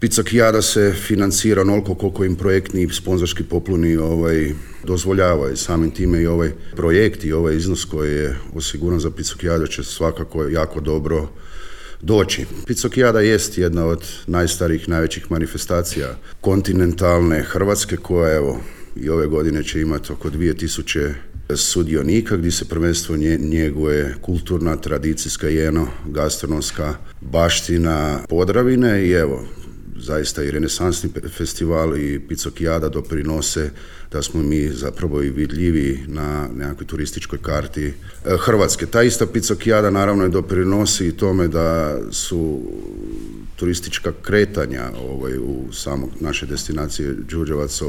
Pizzakijada se financira onoliko koliko im projektni i sponzorski popluni dozvoljavaju. Samim time i ovaj projekt i ovaj iznos koji je osiguran za Pizzakijadu će svakako jako dobro doći. Pizzakijada jest jedna od najstarijih, najvećih manifestacija kontinentalne Hrvatske koja evo i ove godine će imati oko 2000 sudionika gdje se prvenstveno njeguje kulturna, tradicijska i gastronomska baština Podravine i evo zaista i renesansni festival i Pizzakijada doprinose da smo mi zapravo i vidljivi na nekakvoj turističkoj karti Hrvatske. Ta ista Pizzakijada naravno i doprinosi tome da su turistička kretanja u samog naše destinacije Đurđevac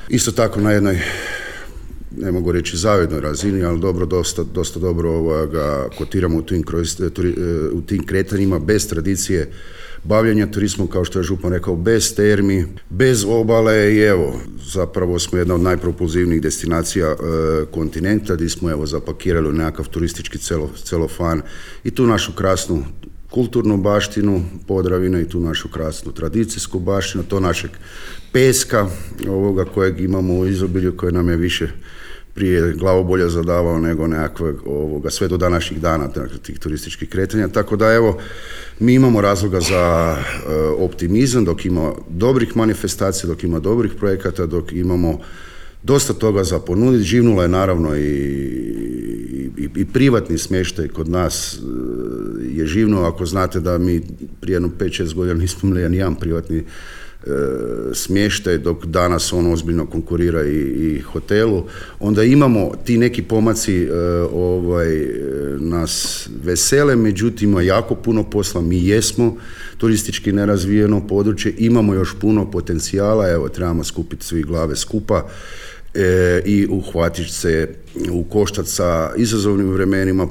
isto tako na jednoj, ne mogu reći zavidnoj razini, ali dosta dobro kotiramo u tim kretanjima bez tradicije bavljenja turizmom, kao što je župan rekao, bez termi, bez obale i evo, zapravo smo jedna od najpropulzivnijih destinacija kontinenta gdje smo evo zapakirali nekakav turistički celofan i tu našu krasnu kulturnu baštinu Podravine i tu našu krasnu tradicijsku baštinu, to našeg peska kojeg imamo u izobilju, koje nam je više prije glavobolja zadavao nego nekakvog sve do današnjih dana tih turističkih kretanja. Tako da evo, mi imamo razloga za optimizam dok ima dobrih manifestacija, dok ima dobrih projekata, dok imamo dosta toga za ponuditi. Živnula je naravno i privatni smještaj kod nas je živnuo. Ako znate da mi prije 5-6 godina nismo imali nijedan privatni smještaj, dok danas on ozbiljno konkurira i hotelu, onda imamo ti neki pomaci nas vesele, međutim ima jako puno posla, mi jesmo turistički nerazvijeno područje, imamo još puno potencijala, evo trebamo skupiti svi glave skupa i uhvatiti se u koštac sa izazovnim vremenima.